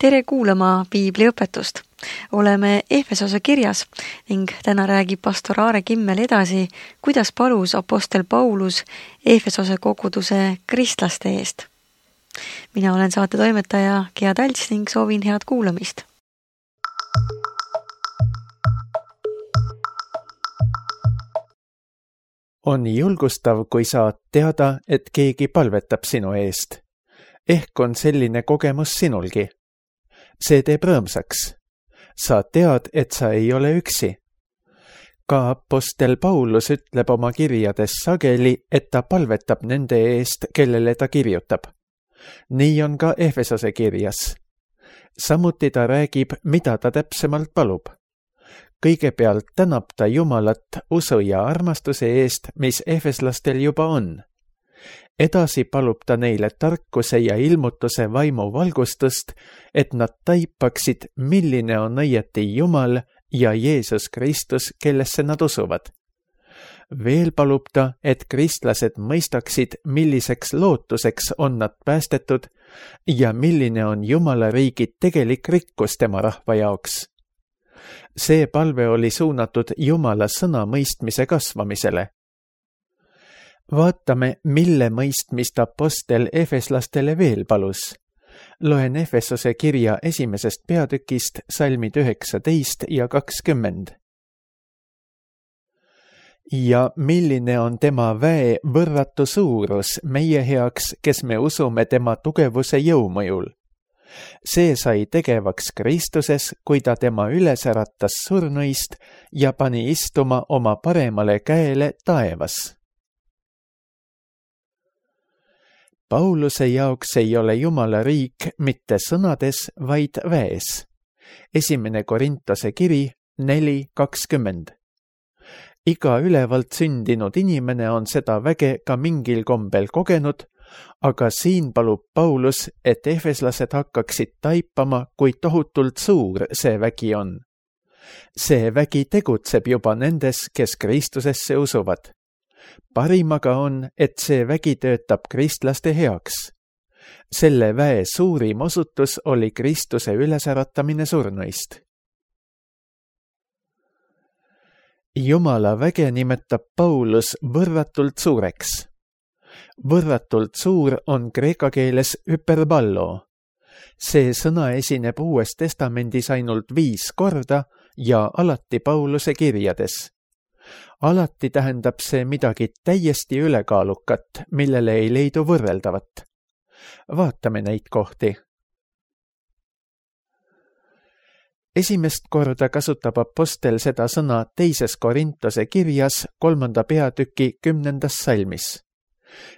Tere kuulama piibliõpetust. Oleme Efesose kirjas ning täna räägib pastor Aare Kimmel edasi, kuidas palus apostel Paulus Efesose koguduse kristlaste eest. Mina olen saate toimetaja Gea Talts ning soovin head kuulamist. On julgustav, kui saad teada, et keegi palvetab sinu eest. Ehk on selline kogemus sinulgi. See teeb rõõmsaks. Sa tead, et sa ei ole üksi. Ka apostel Paulus ütleb oma kirjades sageli, et ta palvetab nende eest, kellele ta kirjutab. Nii on ka Efesose kirjas. Samuti ta räägib, mida ta täpsemalt palub. Kõigepealt tänab ta Jumalat usu ja armastuse eest, mis efeslastel juba on. Edasi palub ta neile tarkuse ja ilmutuse vaimu valgustust, et nad taipaksid, milline on õieti Jumal ja Jeesus Kristus, kellesse nad usuvad. Veel palub ta, et kristlased mõistaksid, milliseks lootuseks on nad päästetud ja milline on Jumala riigi tegelik rikkus tema rahva jaoks. See palve oli suunatud Jumala sõna mõistmise kasvamisele. Vaatame, mille mõistmist apostel efeslastele veel palus. Loen Efesose kirja 1. peatükist salmid 19 ja 20. Ja milline on tema väe võrratu suurus meie heaks, kes me usume tema tugevuse jõumõjul. See sai tegevaks Kristuses, kui ta tema üles äratas surnuist ja pani istuma oma paremale käele taevas. Pauluse jaoks ei ole Jumala riik mitte sõnades, vaid väes. 1. Korintose kiri 4:20. Iga ülevalt sündinud inimene on seda väge ka mingil kombel kogenud, aga siin palub Paulus, et efeslased hakkaksid taipama, kui tohutult suur see vägi on. See vägi tegutseb juba nendes, kes Kristusesse usuvad. Parimaga on, et see vägi töötab kristlaste heaks. Selle väe suurim osutus oli Kristuse ülesäratamine surnuist. Jumala väge nimetab Paulus võrratult suureks. Võrratult suur on kreeka keeles hyperballo. See sõna esineb Uues Testamendis ainult 5 korda ja alati Pauluse kirjades. Alati tähendab see midagi täiesti ülekaalukat, millele ei leidu võrreldavat. Vaatame neid kohti. Esimest korda kasutab apostel seda sõna 2. Korintose kirjas 3. peatüki 10. salmis.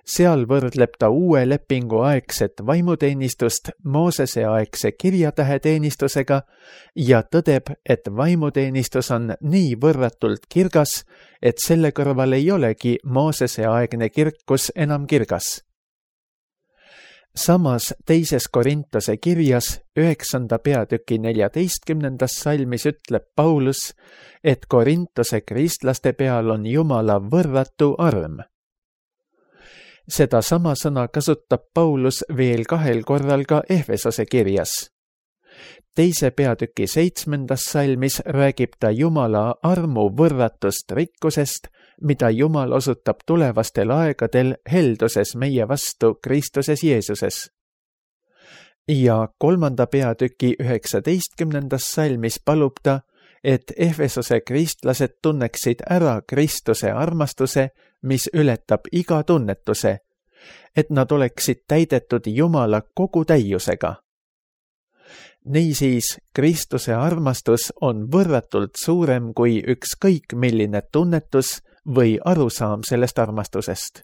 Seal võrdleb ta uue lepingu aegset vaimuteenistust Moosese aegse kirjatäheteenistusega ja tõdeb, et vaimuteenistus on nii võrratult kirgas, et selle kõrval ei olegi Moosese aegne kirkus enam kirgas. Samas 2. Korintose kirjas 9. peatüki 14. salmis ütleb Paulus, et Korintose kristlaste peal on Jumala võrratu arm. Seda sama sõna kasutab Paulus veel 2 korral ka Efesose kirjas. 2. peatüki 7. salmis räägib ta Jumala armu võrratust rikkusest, mida Jumal osutab tulevastel aegadel helduses meie vastu Kristuses Jeesuses. Ja 3. peatüki 19. salmis palub ta, et Efesose kristlased tunneksid ära Kristuse armastuse, mis ületab iga tunnetuse, et nad oleksid täidetud Jumala kogu täiusega. Niisiis, Kristuse armastus on võrratult suurem kui ükskõik milline tunnetus või arusaam sellest armastusest.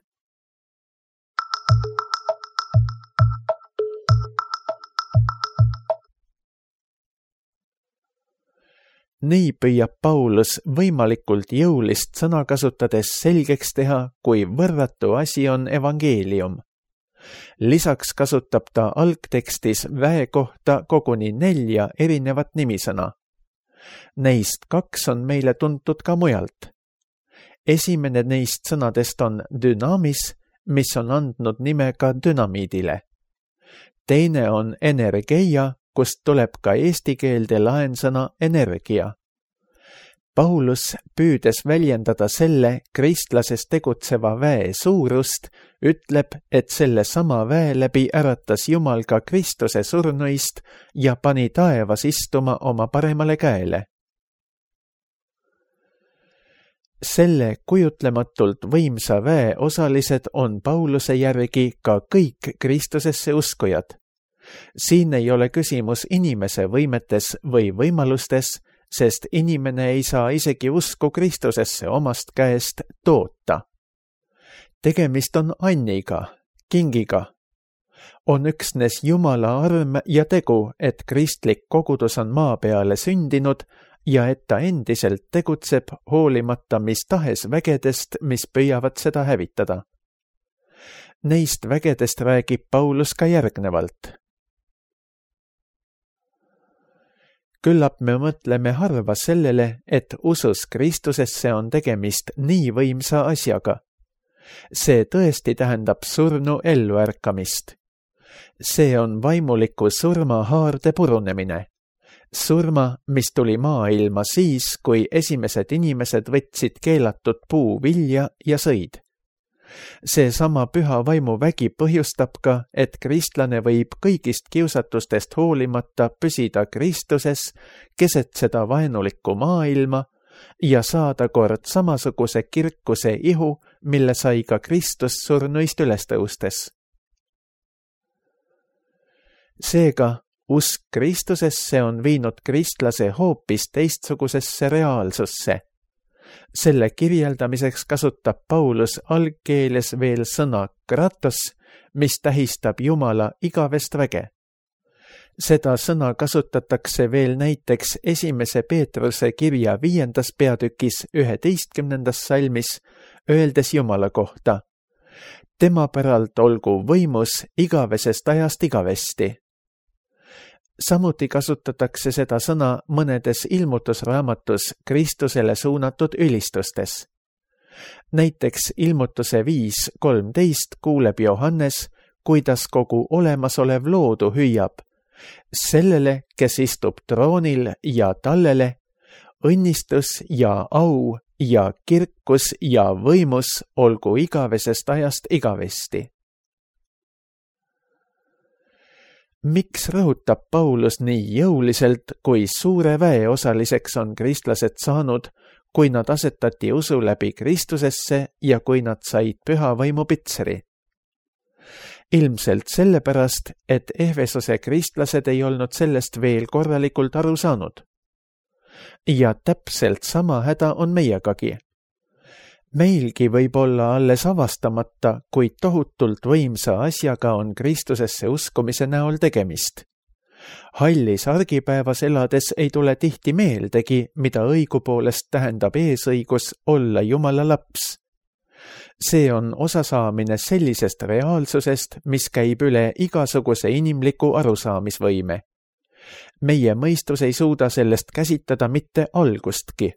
Nii püüab Paulus võimalikult jõulist sõna kasutades selgeks teha, kui võrratu asi on evangeelium. Lisaks kasutab ta algtekstis väe kohta koguni 4 erinevat nimisõna. Neist 2 on meile tuntud ka mujalt. Esimene neist sõnadest on dünamis, mis on andnud nime ka dünamiidile. Teine on energeia, kust tuleb ka eesti keelde laensõna energia. Paulus, püüdes väljendada selle kristlases tegutseva väe suurust, ütleb, et selle sama väe läbi äratas Jumal ka Kristuse surnuist ja pani taevas istuma oma paremale käele. Selle kujutlematult võimsa väe osalised on Pauluse järgi ka kõik Kristusesse uskujad. Siin ei ole küsimus inimese võimetes või võimalustes, sest inimene ei saa isegi usku Kristusesse omast käest toota. Tegemist on anniga, kingiga. On üksnes Jumala arm ja tegu, et kristlik kogudus on maa peale sündinud ja et ta endiselt tegutseb hoolimata mis tahes vägedest, mis püüavad seda hävitada. Neist vägedest räägib Paulus ka järgnevalt. Küllap me mõtleme harva sellele, et usus Kristusesse on tegemist nii võimsa asjaga. See tõesti tähendab surnu elluärkamist. See on vaimuliku surma haarde purunemine. Surma, mis tuli maailma siis, kui esimesed inimesed võtsid keelatud puu vilja ja sõid. See sama püha vaimu vägi põhjustab ka, et kristlane võib kõigist kiusatustest hoolimata püsida Kristuses keset seda vaenulikku maailma ja saada kord samasuguse kirkuse ihu, mille sai ka Kristus surnuist üles tõustes. Seega, usk Kristusesse on viinud kristlase hoopis teistsugusesse reaalsusse. Selle kirjeldamiseks kasutab Paulus algkeeles veel sõna kratos, mis tähistab Jumala igavest väge. Seda sõna kasutatakse veel näiteks 1. Peetruse kirja 5. peatükis 11. salmis, öeldes Jumala kohta. Tema päralt olgu võimus igavesest ajast igavesti. Samuti kasutatakse seda sõna mõnedes ilmutusraamatus Kristusele suunatud ülistustes. Näiteks ilmutuse 5.13 kuuleb Johannes, kuidas kogu olemasolev loodu hüüab. Sellele, kes istub troonil ja tallele, õnnistus ja au ja kirkus ja võimus olgu igavesest ajast igavesti. Miks rõhutab Paulus nii jõuliselt, kui suure väe osaliseks on kristlased saanud, kui nad asetati usu läbi Kristusesse ja kui nad said püha vaimu pitseri? Ilmselt sellepärast, et Efesose kristlased ei olnud sellest veel korralikult aru saanud. Ja täpselt sama häda on meiegagi. Meilgi võib olla alles avastamata, kuid tohutult võimsa asjaga on Kristusesse uskumise näol tegemist. Hallis argipäevas elades ei tule tihti meeldegi, mida õigupoolest tähendab eesõigus olla Jumala laps. See on osasaamine sellisest reaalsusest, mis käib üle igasuguse inimliku arusaamisvõime. Meie mõistus ei suuda sellest käsitada mitte algustki.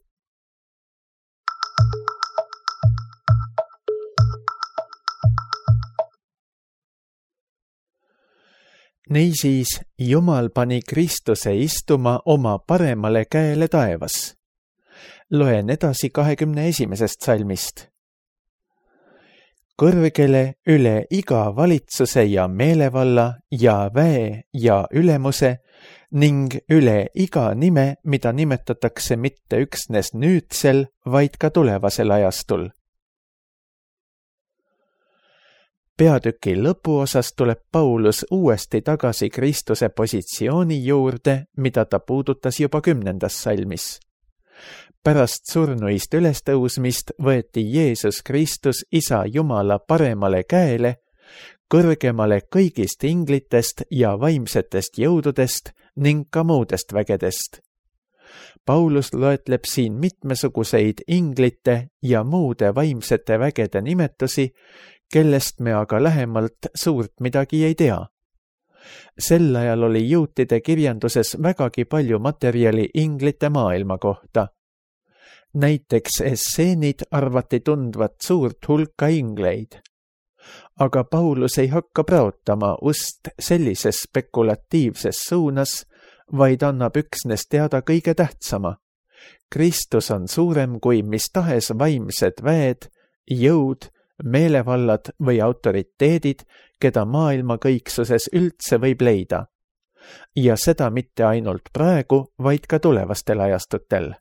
Niisiis, Jumal pani Kristuse istuma oma paremale käele taevas. Loen edasi 21. salmist. Kõrgele üle iga valitsuse ja meelevalla ja väe ja ülemuse ning üle iga nime, mida nimetatakse mitte üksnes nüüdsel, vaid ka tulevasel ajastul. Peatüki lõpuosas tuleb Paulus uuesti tagasi Kristuse positsiooni juurde, mida ta puudutas juba 10. salmis. Pärast surnuist ülestõusmist võeti Jeesus Kristus Isa Jumala paremale käele, kõrgemale kõigist inglitest ja vaimsetest jõududest ning ka muudest vägedest. Paulus loetleb siin mitmesuguseid inglite ja muude vaimsete vägede nimetusi, kellest me aga lähemalt suurt midagi ei tea. Sel ajal oli juutide kirjanduses vägagi palju materjali inglite maailma kohta. Näiteks esseenid arvati tundvat suurt hulka ingleid. Aga Paulus ei hakka praotama ust sellises spekulatiivses suunas, vaid annab üksnes teada kõige tähtsama. Kristus on suurem kui mis tahes vaimsed väed, jõud, meelevallad või autoriteedid, keda maailma kõiksuses üldse võib leida. Ja seda mitte ainult praegu, vaid ka tulevastel ajastutel.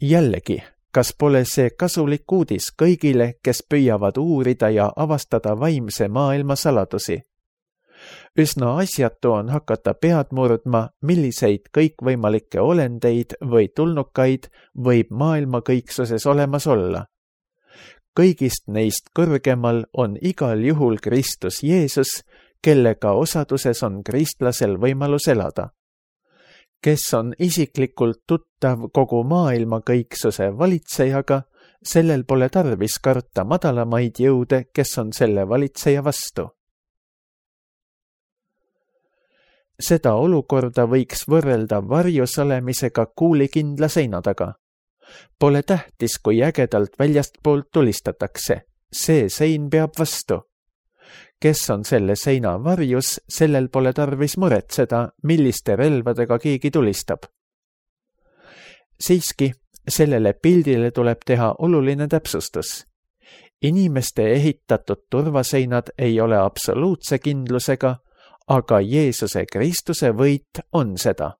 Jällegi, kas pole see kasulik uudis kõigile, kes püüavad uurida ja avastada vaimse maailma saladusi? Üsna asjatu on hakata pead murdma, milliseid kõikvõimalikke olendeid või tulnukaid võib maailma kõiksuses olemas olla. Kõigist neist kõrgemal on igal juhul Kristus Jeesus, kellega osaduses on kristlasel võimalus elada. Kes on isiklikult tuttav kogu maailma kõiksuse valitsejaga, sellel pole tarvis karta madalamaid jõude, kes on selle valitseja vastu. Seda olukorda võiks võrrelda varjus olemisega kuulikindla seina taga. Pole tähtis, kui ägedalt väljastpoolt tulistatakse. See sein peab vastu. Kes on selle seina varjus, sellel pole tarvis muretseda, milliste relvadega keegi tulistab. Siiski, sellele pildile tuleb teha oluline täpsustus. Inimeste ehitatud turvaseinad ei ole absoluutse kindlusega, aga Jeesuse Kristuse võit on seda.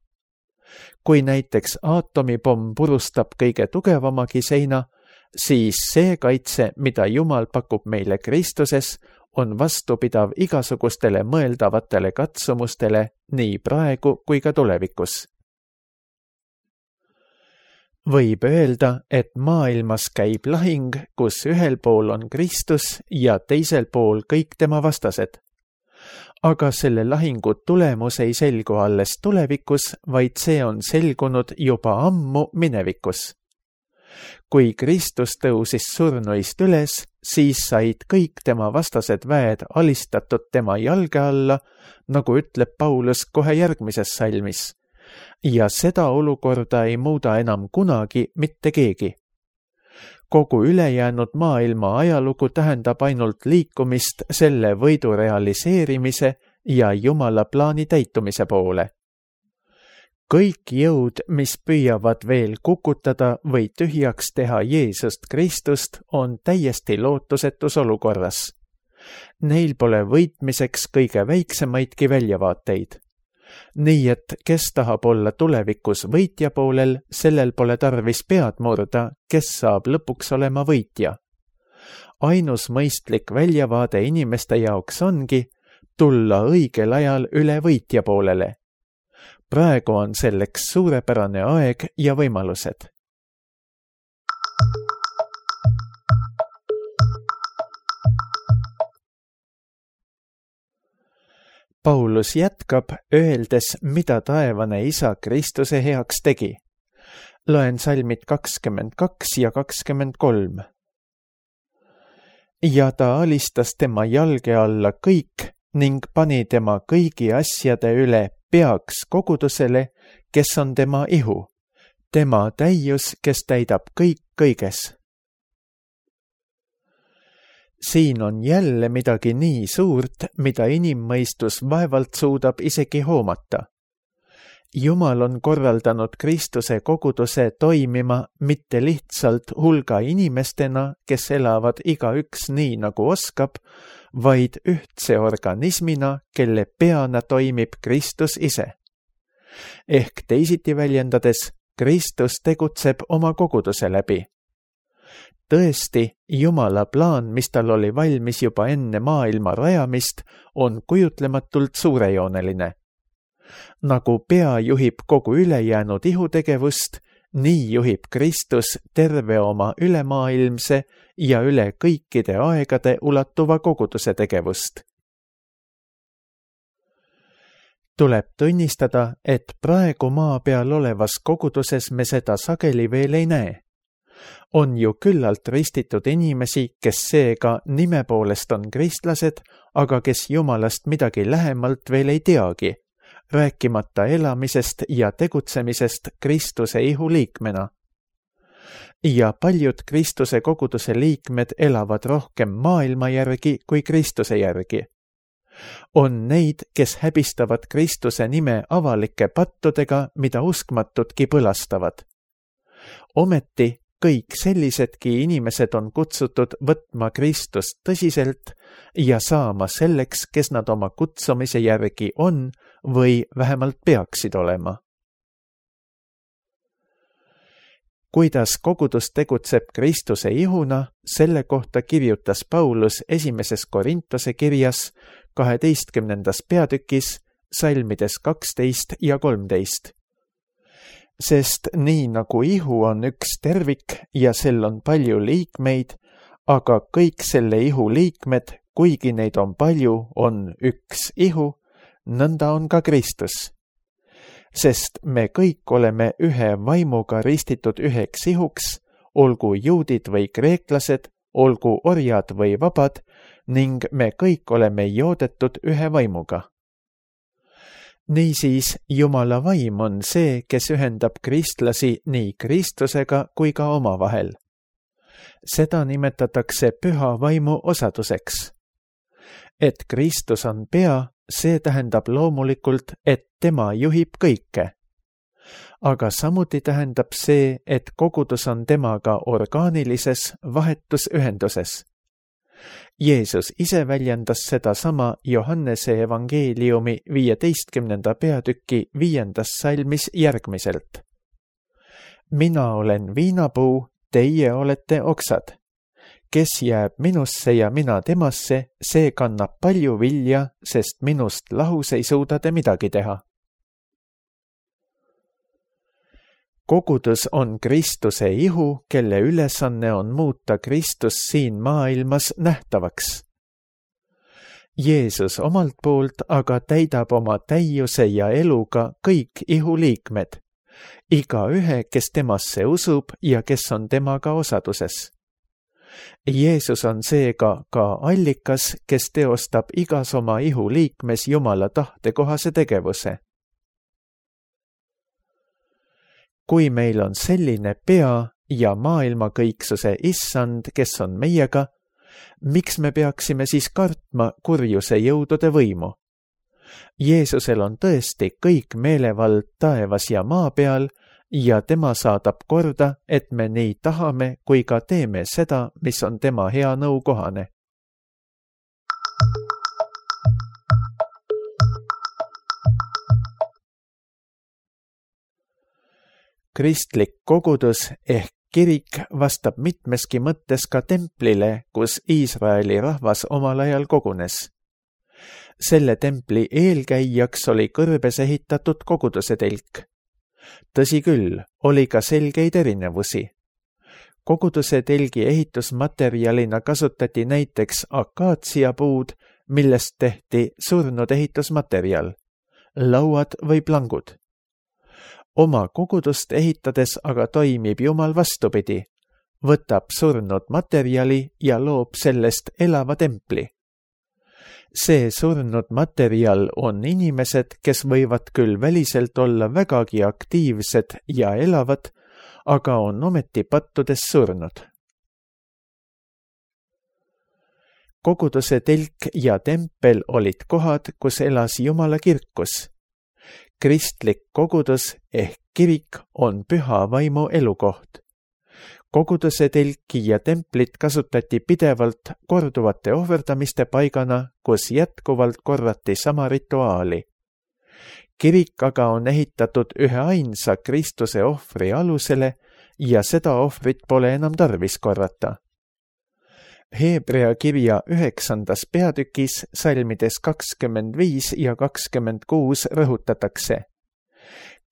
Kui näiteks aatomipomm purustab kõige tugevamagi seina, siis see kaitse, mida Jumal pakub meile Kristuses, on vastupidav igasugustele mõeldavatele katsumustele nii praegu kui ka tulevikus. Võib öelda, et maailmas käib lahing, kus ühel pool on Kristus ja teisel pool kõik tema vastased. Aga selle lahingu tulemus ei selgu alles tulevikus, vaid see on selgunud juba ammu minevikus. Kui Kristus tõusis surnuist üles, siis said kõik tema vastased väed alistatud tema jalge alla, nagu ütleb Paulus kohe järgmises salmis. Ja seda olukorda ei muuda enam kunagi mitte keegi. Kogu ülejäänud maailma ajalugu tähendab ainult liikumist selle võidu realiseerimise ja Jumala plaani täitumise poole. Kõik jõud, mis püüavad veel kukutada või tühjaks teha Jeesust Kristust, on täiesti lootusetus olukorras. Neil pole võitmiseks kõige väiksemaidki väljavaateid. Nii et kes tahab olla tulevikus võitja poolel, sellel pole tarvis pead murda, kes saab lõpuks olema võitja. Ainus mõistlik väljavaade inimeste jaoks ongi tulla õigel ajal üle võitja poolele. Praegu on selleks suurepärane aeg ja võimalused. Paulus jätkab, öeldes, mida taevane Isa Kristuse heaks tegi. Loen salmid 22 ja 23. Ja ta alistas tema jalge alla kõik ning pani tema kõigi asjade üle peaks kogudusele, kes on tema ihu, tema täius, kes täidab kõik kõiges. Siin on jälle midagi nii suurt, mida inimmõistus vaevalt suudab isegi hoomata. Jumal on korraldanud Kristuse koguduse toimima mitte lihtsalt hulga inimestena, kes elavad igaüks nii nagu oskab, vaid ühtse organismina, kelle peana toimib Kristus ise. Ehk teisiti väljendades, Kristus tegutseb oma koguduse läbi. Tõesti, Jumala plaan, mis tal oli valmis juba enne maailma rajamist, on kujutlematult suurejooneline. Nagu pea juhib kogu ülejäänud ihutegevust, nii juhib Kristus terve oma ülemaailmse ja üle kõikide aegade ulatuva koguduse tegevust. Tuleb tunnistada, et praegu maa peal olevas koguduses me seda sageli veel ei näe. On ju küllalt ristitud inimesi, kes seega nime poolest on kristlased, aga kes Jumalast midagi lähemalt veel ei teagi, rääkimata elamisest ja tegutsemisest Kristuse ihu liikmena. Ja paljud Kristuse koguduse liikmed elavad rohkem maailma järgi kui Kristuse järgi. On neid, kes häbistavad Kristuse nime avalike pattudega, mida uskmatudki põlastavad. Ometi kõik sellisedki inimesed on kutsutud võtma Kristust tõsiselt ja saama selleks, kes nad oma kutsumise järgi on või vähemalt peaksid olema. Kuidas kogudus tegutseb Kristuse ihuna, selle kohta kirjutas Paulus 1. Korintuse kirjas 12. peatükis salmides 12 ja 13. Sest nii nagu ihu on üks tervik ja sel on palju liikmeid, aga kõik selle ihu liikmed, kuigi neid on palju, on üks ihu, nõnda on ka Kristus. Sest me kõik oleme ühe vaimuga ristitud üheks ihuks, olgu juudid või kreeklased, olgu orjad või vabad, ning me kõik oleme joodetud ühe vaimuga. Niisiis, Jumala vaim on see, kes ühendab kristlasi nii Kristusega kui ka omavahel. Seda nimetatakse püha vaimu osaduseks. Et Kristus on pea, see tähendab loomulikult, et tema juhib kõike. Aga samuti tähendab see, et kogudus on temaga orgaanilises vahetusühenduses. Jeesus ise väljendas sedasama Johannese evangeeliumi 15. peatüki 5. salmis järgmiselt. Mina olen viinapuu, teie olete oksad. Kes jääb minusse ja mina temasse, see kannab palju vilja, sest minust lahus ei suuda te midagi teha. Kogudus on Kristuse ihu, kelle ülesanne on muuta Kristus siin maailmas nähtavaks. Jeesus omalt poolt aga täidab oma täiuse ja eluga kõik ihu liikmed, igaühe, kes temasse usub ja kes on temaga osaduses. Jeesus on seega ka allikas, kes teostab igas oma ihu liikmes Jumala tahtekohase tegevuse. Kui meil on selline pea ja maailma kõiksuse issand, kes on meiega, miks me peaksime siis kartma kurjuse jõudude võimu? Jeesusel on tõesti kõik meelevald taevas ja maa peal ja tema saadab korda, et me nii tahame kui ka teeme seda, mis on tema hea nõu kohane. Kristlik kogudus ehk kirik vastab mitmeski mõttes ka templile, kus Iisraeli rahvas omal ajal kogunes. Selle templi eelkäijaks oli kõrbes ehitatud koguduse telk. Tõsi küll, oli ka selgeid erinevusi. Koguduse telgi ehitusmaterjalina kasutati näiteks akaatsiapuud, millest tehti surnud ehitusmaterjal, lauad või plangud. Oma kogudust ehitades aga toimib Jumal vastupidi, võtab surnud materjali ja loob sellest elava templi. See surnud materjal on inimesed, kes võivad küll väliselt olla vägagi aktiivsed ja elavad, aga on ometi pattudes surnud. Koguduse telk ja tempel olid kohad, kus elas Jumala kirkus. Kristlik kogudus ehk kirik on püha vaimu elukoht. Koguduse telki ja templit kasutati pidevalt korduvate ohverdamiste paigana, kus jätkuvalt korrati sama rituaali. Kirik aga on ehitatud ühe ainsa Kristuse ohvri alusele ja seda ohvrit pole enam tarvis korrata. Heebrea kirja 9. peatükis salmides 25 ja 26 rõhutatakse.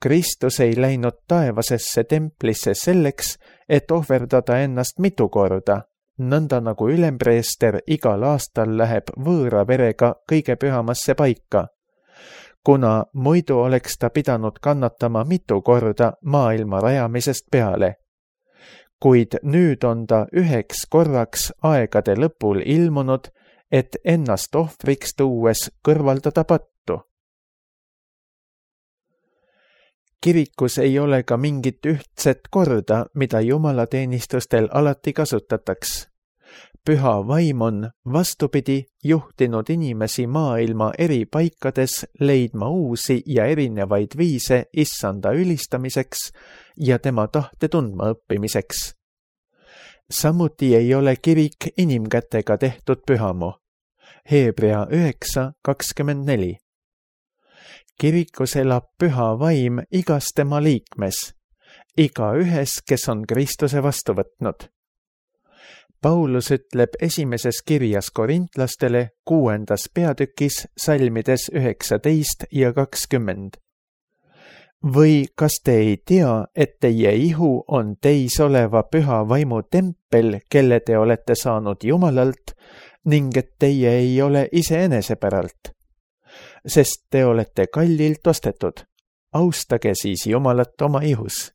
Kristus ei läinud taevasesse templisse selleks, et ohverdada ennast mitu korda, nõnda nagu ülempreester igal aastal läheb võõra verega kõige pühamasse paika, kuna muidu oleks ta pidanud kannatama mitu korda maailma rajamisest peale. Kuid nüüd on ta üheks korraks aegade lõpul ilmunud, et ennast ohvriks tuues kõrvaldada pattu. Kirikus ei ole ka mingit ühtset korda, mida jumalateenistustel alati kasutataks. püha vaim on, vastupidi, juhtinud inimesi maailma eri paikades leidma uusi ja erinevaid viise issanda ülistamiseks ja tema tahte tundma õppimiseks. Samuti ei ole kirik inimkätega tehtud pühamu. Hebrea 9:24. Kirikus elab püha vaim igas tema liikmes, igaühes, kes on Kristuse vastu võtnud. Paulus ütleb esimeses kirjas korintlastele 6. peatükis salmides 19 ja 20. Või kas te ei tea, et teie ihu on teis oleva püha vaimu tempel, kelle te olete saanud Jumalalt, ning et teie ei ole iseenese päralt? Sest te olete kallilt ostetud. Austage siis Jumalat oma ihus.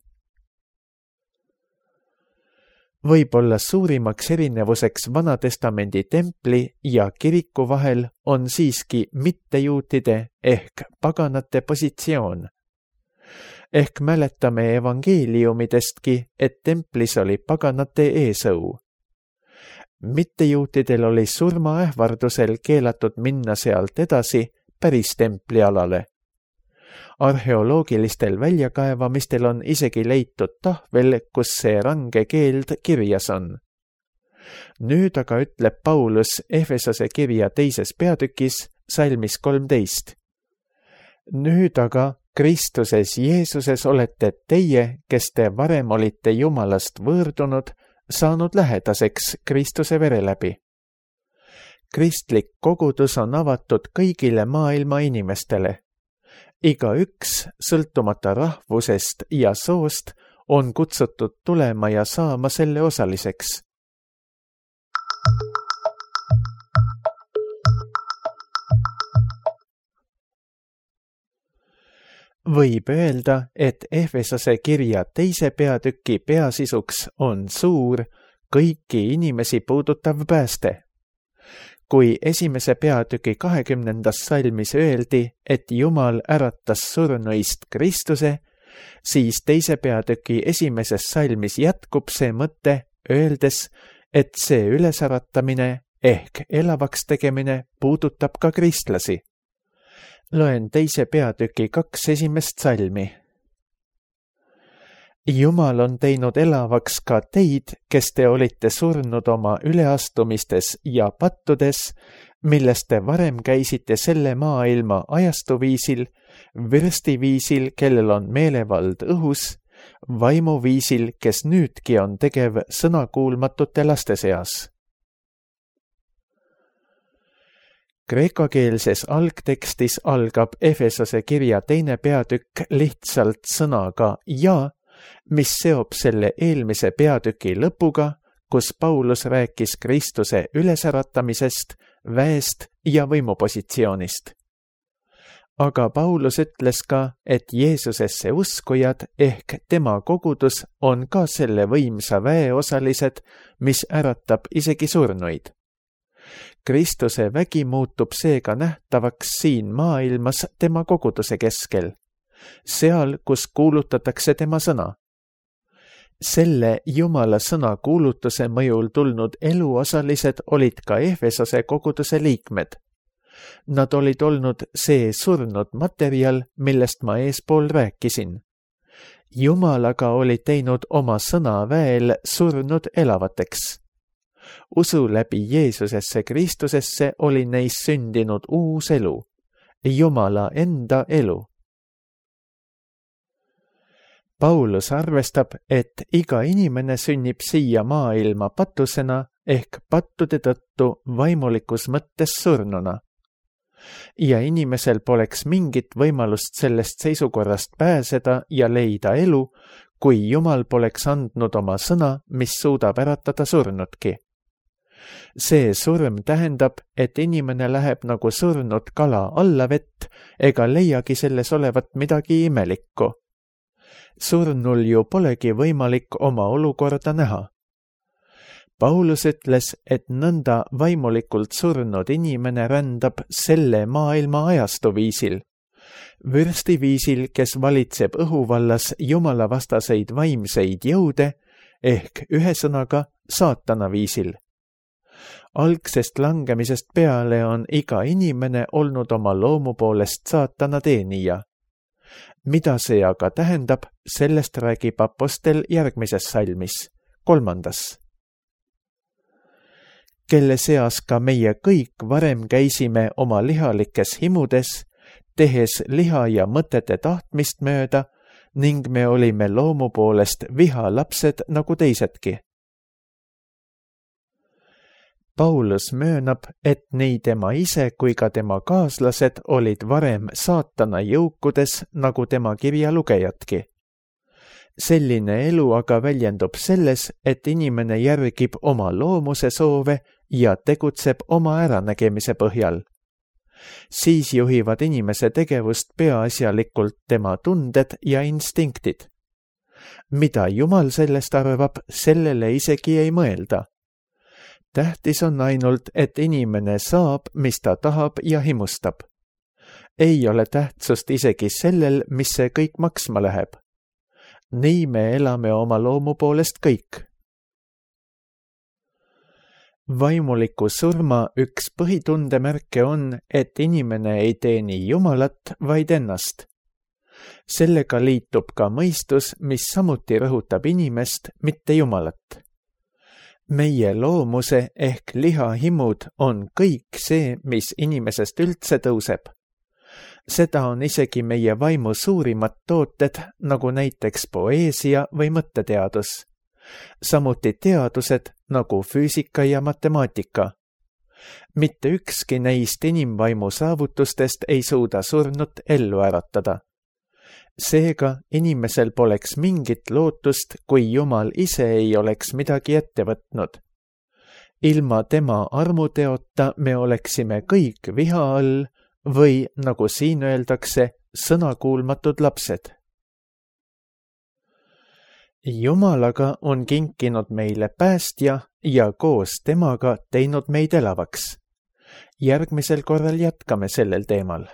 Võib-olla suurimaks erinevuseks Vanatestamendi templi ja kiriku vahel on siiski mittejuutide ehk paganate positsioon. Ehk mäletame evangeeliumidestki, et templis oli paganate eesõu. Mittejuutidel oli surmaähvardusel keelatud minna sealt edasi päris templialale. Arheoloogilistel väljakaevamistel on isegi leitud tahvel, kus see range keeld kirjas on. Nüüd aga ütleb Paulus Efesose kirja 2. peatükis salmis 13. Nüüd aga Kristuses Jeesuses olete teie, kes te varem olite Jumalast võõrdunud, saanud lähedaseks Kristuse vere läbi. Kristlik kogudus on avatud kõigile maailma inimestele. Igaüks, sõltumata rahvusest ja soost, on kutsutud tulema ja saama selle osaliseks. Võib öelda, et Efesose kirja 2. peatüki peasisuks on suur, kõiki inimesi puudutav pääste. Kui 1. peatüki 20. salmis öeldi, et Jumal äratas surnuist Kristuse, siis 2. peatüki 1. salmis jätkub see mõte, öeldes, et see ülesäratamine ehk elavaks tegemine puudutab ka kristlasi. Loen 2. peatüki 2 esimest salmi. Jumal on teinud elavaks ka teid, kes te olite surnud oma üleastumistes ja pattudes, millest te varem käisite selle maailma ajastuviisil, vürstiviisil, kellel on meelevald õhus, vaimuviisil, kes nüüdki on tegev sõnakuulmatute laste seas. Kreekakeelses algtekstis algab Efesose kirja 2. peatükk lihtsalt sõnaga ja, mis seob selle eelmise peatüki lõpuga, kus Paulus rääkis Kristuse ülesäratamisest, väest ja võimupositsioonist. Aga Paulus ütles ka, et Jeesusesse uskujad ehk tema kogudus on ka selle võimsa väe osalised, mis äratab isegi surnuid. Kristuse vägi muutub seega nähtavaks siin maailmas tema koguduse keskel, seal, kus kuulutatakse tema sõna. Selle Jumala sõna kuulutuse mõjul tulnud eluosalised olid ka Efesose koguduse liikmed. Nad olid olnud see surnud materjal, millest ma eespool rääkisin. Jumal aga oli teinud oma sõna väel surnud elavateks. Usu läbi Jeesusesse Kristusesse oli neis sündinud uus elu, Jumala enda elu. Paulus arvestab, et iga inimene sünnib siia maailma patusena ehk pattude tõttu vaimulikus mõttes surnuna. Ja inimesel poleks mingit võimalust sellest seisukorrast pääseda ja leida elu, kui Jumal poleks andnud oma sõna, mis suudab äratada surnudki. See surm tähendab, et inimene läheb nagu surnud kala alla vett ega leiagi selles olevat midagi imelikku. Surnul ju polegi võimalik oma olukorda näha. Paulus ütles, et nõnda vaimulikult surnud inimene rändab selle maailma ajastuviisil, vürstiviisil, kes valitseb õhuvallas jumalavastaseid vaimseid jõude ehk ühesõnaga saatana viisil. Algsest langemisest peale on iga inimene olnud oma loomu poolest saatana teenija. Mida see aga tähendab, sellest räägib apostel järgmises salmis, 3. Kelle seas ka meie kõik varem käisime oma lihalikes himudes, tehes liha ja mõtete tahtmist mööda ning me olime loomu poolest vihalapsed nagu teisedki. Paulus möönab, et nii tema ise kui ka tema kaaslased olid varem saatana jõukudes nagu tema kirja lugejadki. Selline elu aga väljendub selles, et inimene järgib oma loomuse soove ja tegutseb oma äranägemise põhjal. Siis juhivad inimese tegevust peaasjalikult tema tunded ja instinktid. Mida Jumal sellest arvab, sellele isegi ei mõelda. Tähtis on ainult, et inimene saab, mis ta tahab ja himustab. Ei ole tähtsust isegi sellel, mis see kõik maksma läheb. Nii me elame oma loomu poolest kõik. Vaimuliku surma üks põhitundemärke on, et inimene ei teeni Jumalat, vaid ennast. Sellega liitub ka mõistus, mis samuti rõhutab inimest, mitte Jumalat. Meie loomuse ehk lihahimud on kõik see, mis inimesest üldse tõuseb. Seda on isegi meie vaimu suurimad tooted, nagu näiteks poeesia või mõtteteadus. Samuti teadused nagu füüsika ja matemaatika. Mitte ükski neist inimvaimu saavutustest ei suuda surnut ellu äratada. Seega inimesel poleks mingit lootust, kui Jumal ise ei oleks midagi ette võtnud. Ilma tema armuteota me oleksime kõik viha all või, nagu siin öeldakse, sõnakuulmatud lapsed. Jumal aga on kinkinud meile päästja ja koos temaga teinud meid elavaks. Järgmisel korral jätkame sellel teemal.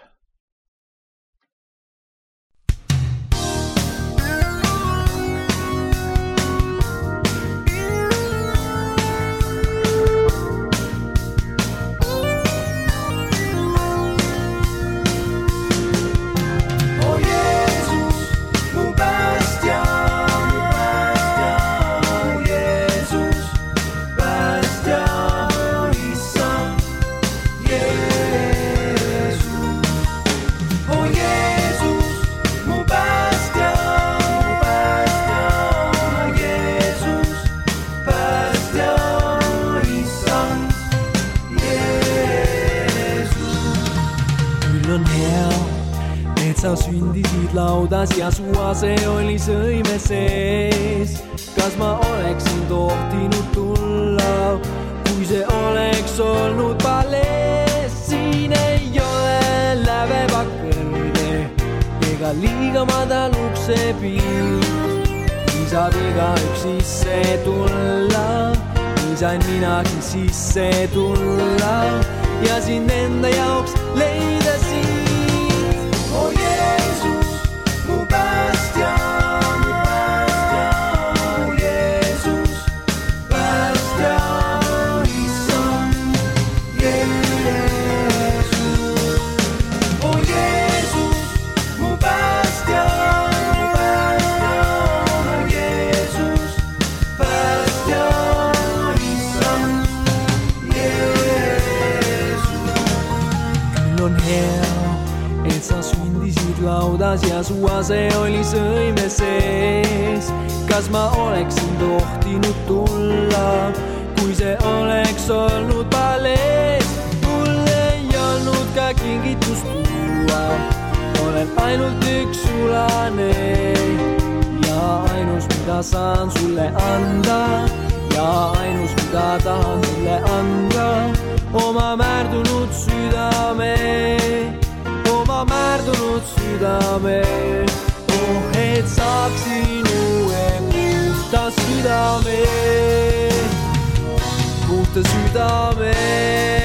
Sa sündisid laudas ja su ase oli sõime sees. Kas ma oleksin tohtinud tulla, kui see oleks olnud palees? Siin ei ole lävepakk kõrge ega liiga madal uksepiir. Nii saab igaüks sisse tulla, nii sain minagi sisse tulla ja sind enda jaoks leida siin. Laudas ja su ase oli sõime sees. Kas ma oleksin tohtinud tulla, kui see oleks olnud palees? Mul ei olnud ka kingitust tuua, olen ainult üks sulane ja ainus, mida saan sulle anda ja ainus, mida tahan sulle anda, oma määrdunud südame. Oma määrdunud südame, et saaksin uue puhta südame, puhta südame.